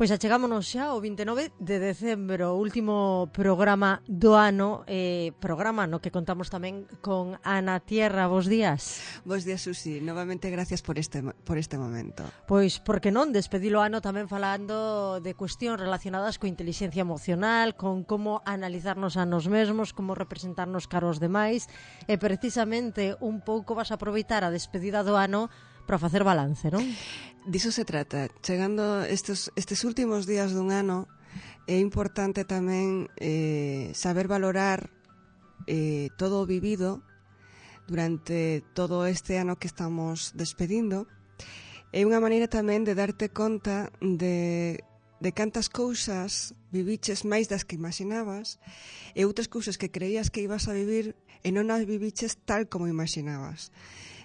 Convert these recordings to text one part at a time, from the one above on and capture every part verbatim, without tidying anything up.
Pois achegámonos xa ao vinte e nove de decembro, o último programa do ano, eh, programa no que contamos tamén con Ana Tierra. Bos días. Bos días, Susi. Novamente gracias por este, por este momento. Pois, por que non, despedilo ano tamén falando de cuestións relacionadas coa inteligencia emocional, con como analizarnos a nos mesmos, como representarnos caros demais, e precisamente un pouco vas a aproveitar a despedida do ano para facer balance, non? Diso se trata. Chegando estes, estes últimos días dun ano, é importante tamén eh, saber valorar eh, todo o vivido durante todo este ano que estamos despedindo. É unha maneira tamén de darte conta de, de cantas cousas viviches máis das que imaginabas e outras cousas que creías que ibas a vivir e non as viviches tal como imaginabas.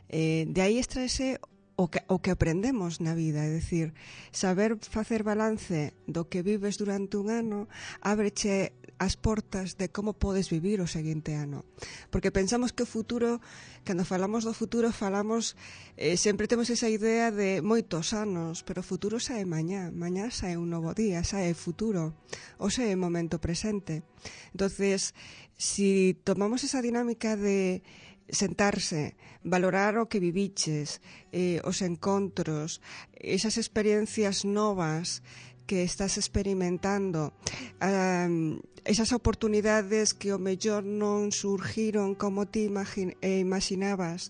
Eh, de aí extraese o que, o que aprendemos na vida, é dicir, saber facer balance do que vives durante un ano ábreche as portas de como podes vivir o seguinte ano. Porque pensamos que o futuro, cando falamos do futuro, falamos, eh, sempre temos esa idea de moitos anos, pero o futuro sae mañá, mañá sae un novo día, sae futuro, ou sae o momento presente. Entonces, si tomamos esa dinámica de sentarse, valorar o que viviches, eh, os encontros, esas experiencias novas que estás experimentando, um, esas oportunidades que o mellor non surgiron como ti imagin- eh, imaginabas,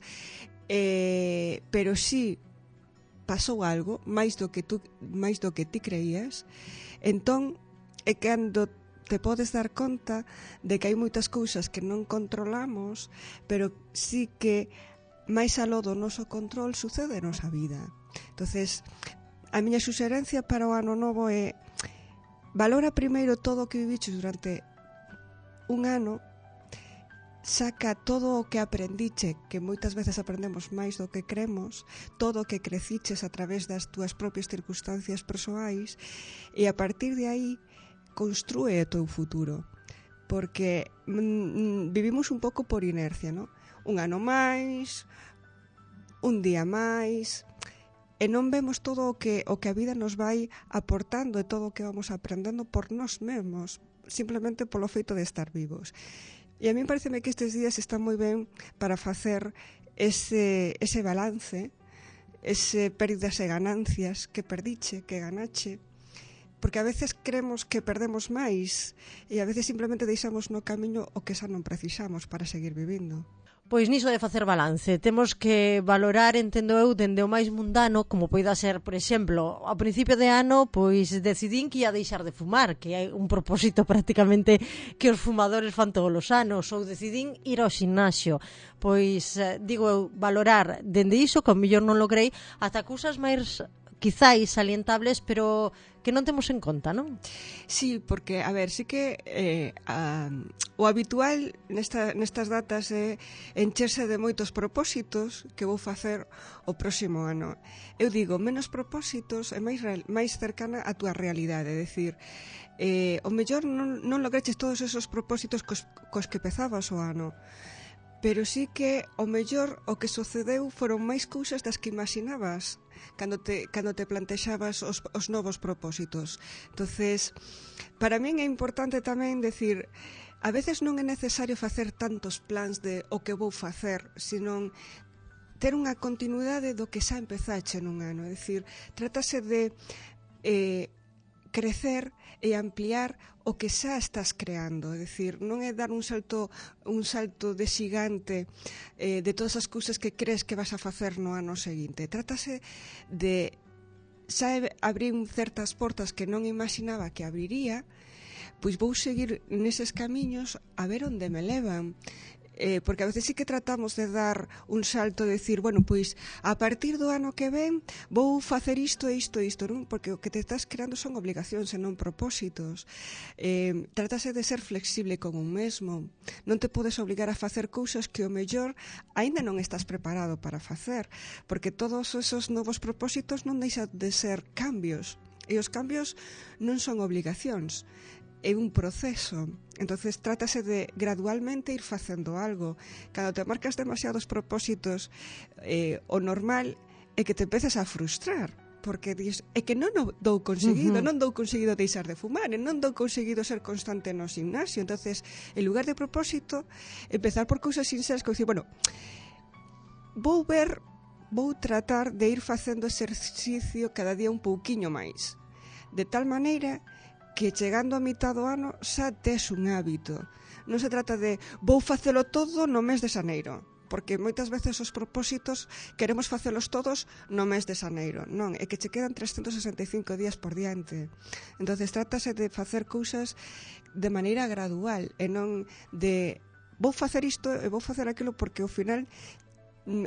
eh, pero sí pasou algo máis do que tú, máis do que ti creías, entón é cando te podes dar conta de que hai moitas cousas que non controlamos, pero sí que máis aló do noso control sucede a nosa vida. Entonces, a miña suxerencia para o ano novo é valora primeiro todo o que viviches durante un ano, saca todo o que aprendiche, que moitas veces aprendemos máis do que cremos, todo o que creciches a través das túas propias circunstancias persoais, e a partir de aí construe o teu futuro, porque mm, vivimos un pouco por inercia, ¿no? Un ano máis, un día máis, e non vemos todo o que, o que a vida nos vai aportando e todo o que vamos aprendendo por nós mesmos, simplemente polo feito de estar vivos. E a mí pareceme que estes días están moi ben para facer ese, ese balance, ese pérdidas e ganancias, que perdiche, que ganache, porque a veces creemos que perdemos máis e a veces simplemente deixamos no camiño o que xa non precisamos para seguir vivindo. Pois niso de facer balance, temos que valorar, entendo eu, dende o máis mundano, como poida ser, por exemplo, ao principio de ano, pois decidín que ia deixar de fumar, que é un propósito prácticamente que os fumadores fan todos os anos, ou decidín ir ao gimnasio. Pois, digo eu, valorar dende iso, que ao mellor non logrei, ata cousas máis quizáis salientables, pero que non temos en conta, non? Sí, porque, a ver, sí que eh, a, o habitual nesta, nestas datas é encherse de moitos propósitos que vou facer o próximo ano. Eu digo, menos propósitos e máis, máis cercana á túa realidade, é dicir, eh, o mellor non, non lograches todos esos propósitos cos, cos que pezabas o ano, pero sí que o mellor o que sucedeu foron máis cousas das que imaginabas cando te, cando te plantexabas os, os novos propósitos. Entonces, para min é importante tamén decir, a veces non é necesario facer tantos plans de o que vou facer, senón ter unha continuidade do que xa empezache nun ano. É dicir, trátase de eh, crecer e ampliar o que xa estás creando, é dicir, non é dar un salto un salto de xigante eh, de todas as cousas que crees que vas a facer no ano seguinte. Trátase de xa abrir certas portas que non imaginaba que abriría, pois vou seguir neses camiños a ver onde me levan. Eh, porque a veces sí que tratamos de dar un salto, de decir, bueno, pois a partir do ano que ven vou facer isto e isto e isto, non? Porque o que te estás creando son obligacións e non propósitos. Eh, trátase de ser flexible con un mesmo. Non te podes obligar a facer cousas que o mellor aínda non estás preparado para facer, porque todos esos novos propósitos non deixan de ser cambios, e os cambios non son obligacións, é un proceso. Entonces trátase de gradualmente ir facendo algo. Cando te marcas demasiados propósitos, eh, o normal é que te empeces a frustrar, porque dis, é que non o dou conseguido, uh-huh. non dou conseguido deixar de fumar, e non dou conseguido ser constante no gimnasio. Entonces, en lugar de propósito, empezar por cousas sinceras, como dicir, bueno, vou ver, vou tratar de ir facendo exercicio cada día un pouquiño máis, de tal maneira que chegando a mitad do ano xa tes un hábito. Non se trata de vou facelo todo no mes de xaneiro, porque moitas veces os propósitos queremos facelos todos no mes de xaneiro. Non, é que che quedan trescentos sesenta e cinco días por diante. Entonces trátase de facer cousas de maneira gradual e non de vou facer isto e vou facer aquilo, porque ao final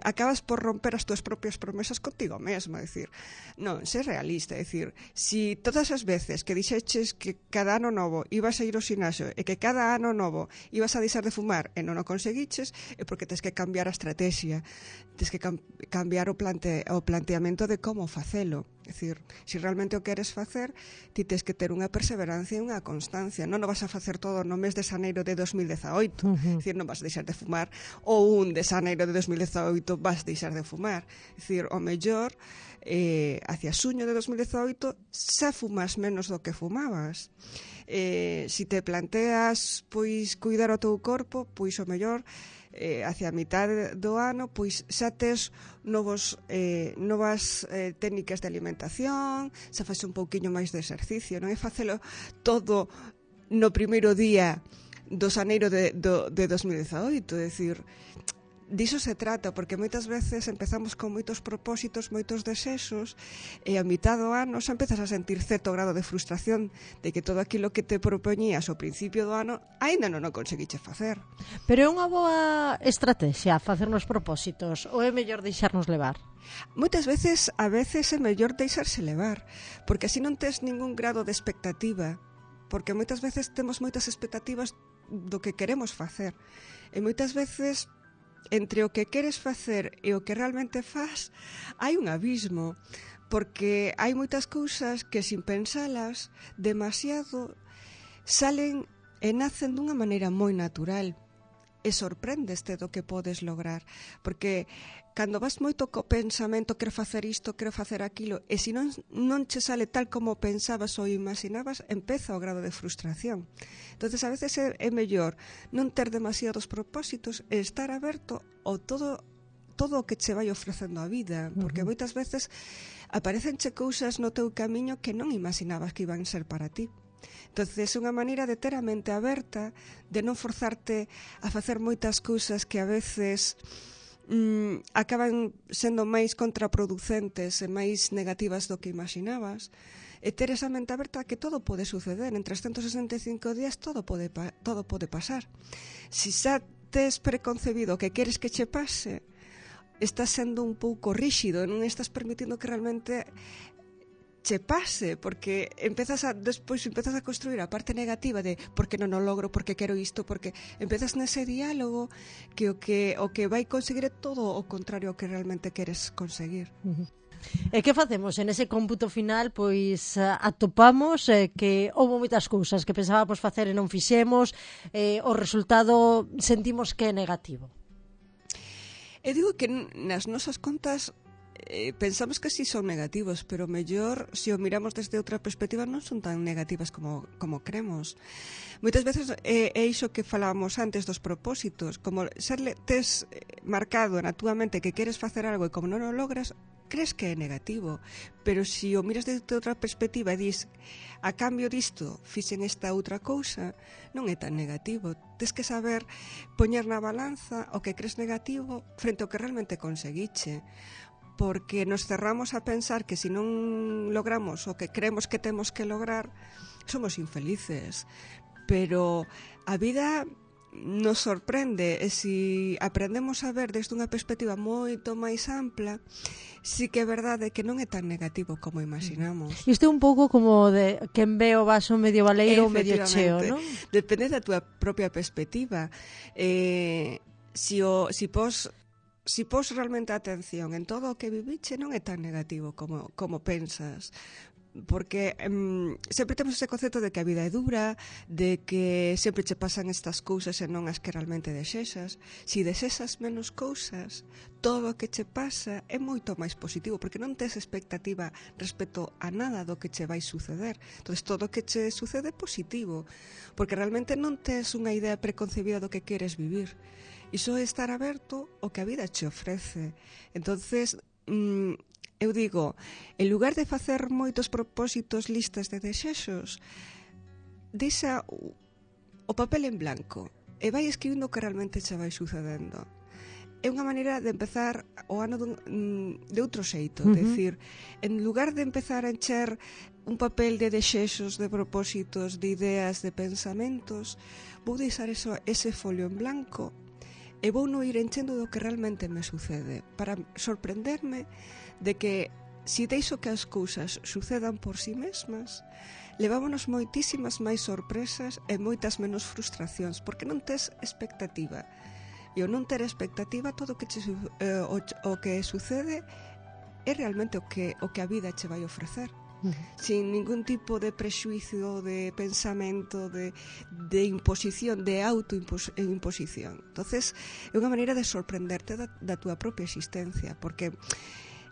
acabas por romper as túas propias promesas contigo mesmo. É dicir, non, ser realista, é dicir, si todas as veces que dixeches que cada ano novo ibas a ir ao xinasio e que cada ano novo ibas a deixar de fumar e non o conseguiches, é porque tens que cambiar a estrategia, tens que cam- cambiar o, plante- o planteamento de como facelo. É dicir, se realmente o queres facer, ti tens que ter unha perseverancia e unha constancia. Non o vas a facer todo no mes de xaneiro de dos mil dezaoito. Uh-huh. É dicir, non vas a deixar de fumar, ou un de xaneiro de dos mil dezaoito vas a deixar de fumar. É dicir, o mellor, eh, hacia xuño de dos mil dezaoito, xa fumas menos do que fumabas. Eh, si te planteas, pois, cuidar o teu corpo, pois o mellor, eh, hacia a mitad do ano, pois xa tes novos, eh, novas eh, técnicas de alimentación, xa faz un pouquiño máis de exercicio, non é facelo todo no primeiro día do xaneiro de, do, de dos mil dezaoito, é dicir, diso se trata, porque moitas veces empezamos con moitos propósitos, moitos desexos, e a mitad do ano xa empezas a sentir certo grado de frustración de que todo aquilo que te propoñías ao principio do ano aínda non o conseguiche facer. Pero é unha boa estrategia facernos propósitos, ou é mellor deixarnos levar? Moitas veces, a veces é mellor deixarse levar, porque así non tes ningún grado de expectativa, porque moitas veces temos moitas expectativas do que queremos facer, e moitas veces entre o que queres facer e o que realmente faz hai un abismo, porque hai moitas cousas que sin pensalas demasiado salen e nacen dunha maneira moi natural e sorpréndeste do que podes lograr, porque cando vas moito co pensamento, quero facer isto, quero facer aquilo, e se non, non che sale tal como pensabas ou imaginabas, empeza o grado de frustración. Entonces a veces é, é mellor non ter demasiados propósitos e estar aberto ao todo todo o que che vai ofrecendo a vida, porque Uh-huh. moitas veces aparecenche cousas no teu camiño que non imaginabas que iban ser para ti. Entonces é unha maneira de ter a mente aberta, de non forzarte a facer moitas cousas que a veces mm, acaban sendo máis contraproducentes e máis negativas do que imaginabas, e ter esa mente aberta que todo pode suceder. En trescentos sesenta e cinco días todo pode, todo pode pasar. Si xa tes preconcebido que queres que che pase, estás sendo un pouco ríxido, non estás permitindo que realmente che pase, porque empezas a despois empezas a construir a parte negativa de porque non o logro, porque quero isto, porque empezas nese diálogo que o que o que vai conseguir é todo o contrario ao que realmente queres conseguir. Uh-huh. E que facemos en ese cómputo final? Pois atopamos eh, que houve moitas cousas que pensábamos facer e non fixemos, eh, o resultado sentimos que é negativo. E digo que nas nosas contas eh, pensamos que sí son negativos, pero mellor, se o miramos desde outra perspectiva, non son tan negativas como, como cremos. Moitas veces é, é iso que falábamos antes dos propósitos, como serle tes marcado na túa mente que queres facer algo e como non o logras, crees que é negativo, pero se o miras desde outra perspectiva e dis, a cambio disto fixen esta outra cousa, non é tan negativo. Tes que saber poñer na balanza o que crees negativo frente ao que realmente conseguiche, porque nos cerramos a pensar que se non logramos o que creemos que temos que lograr, somos infelices. Pero a vida nos sorprende, e se aprendemos a ver desde unha perspectiva moito máis ampla, sí que é verdade que non é tan negativo como imaginamos. Isto é un pouco como de quen ve o vaso medio baleiro ou medio cheo, non? Depende da túa propia perspectiva. Eh, si, o, si pos si pos realmente atención en todo o que viviche, non é tan negativo como, como pensas, porque um, sempre temos ese concepto de que a vida é dura, de que sempre che pasan estas cousas e non as que realmente desexas. Si desexas menos cousas, todo o que che pasa é moito máis positivo, porque non tes expectativa respecto a nada do que che vai suceder. Entón, todo o que che sucede é positivo, porque realmente non tes unha idea preconcebida do que queres vivir. Iso é estar aberto ao que a vida che ofrece. Entonces, mmm, eu digo, en lugar de facer moitos propósitos, listas de desexos, deixa o papel en blanco e vai escribindo o que realmente che vai sucedendo. É unha maneira de empezar o ano dun, de outro xeito. Uh-huh. Decir, en lugar de empezar a encher un papel de desexos, de propósitos, de ideas, de pensamentos, vou deixar eso, ese folio en blanco e vou non ir enchendo do que realmente me sucede, para sorprenderme de que si deixo que as cousas sucedan por si mesmas, levámonos moitísimas máis sorpresas e moitas menos frustracións, porque non tes expectativa. E ao non ter expectativa, todo o que, che, eh, o, o que sucede é realmente o que, o que a vida che vai ofrecer. Uh-huh. Sin ningún tipo de prexuicio, de pensamento, de, de imposición, de autoimposición. Entonces, é unha maneira de sorprenderte da, da túa propia existencia, porque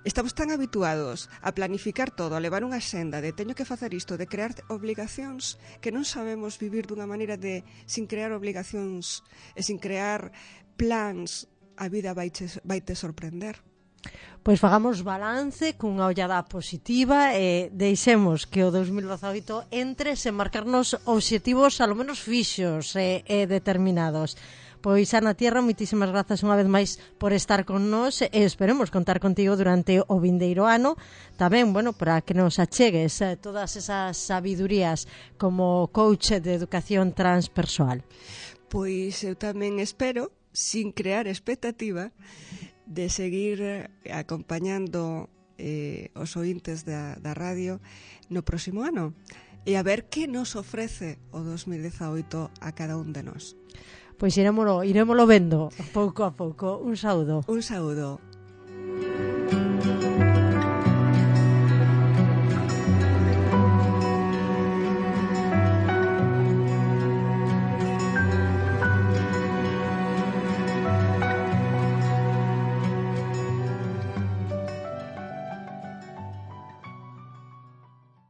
estamos tan habituados a planificar todo, a levar unha senda de teño que facer isto, de crear obligacións, que non sabemos vivir dunha maneira de sin crear obligacións e sin crear plans, a vida vai te, vai te sorprender. Pois fagamos balance cunha ollada positiva e deixemos que o dos mil dezaoito entre sen marcarnos obxectivos alo menos fixos e, e determinados. Pois, Ana Tierra, moitísimas grazas unha vez máis por estar con nós e esperemos contar contigo durante o vindeiro ano. Tamén, bueno, para que nos achegues eh, todas esas sabidurías como coach de educación transpersoal. Pois eu tamén espero, sin crear expectativa, de seguir acompañando eh, os ointes da, da radio no próximo ano e a ver que nos ofrece o dos mil dezaoito a cada un de nós. Pois irémolo, irémolo vendo pouco a pouco. Un saúdo. Un saúdo.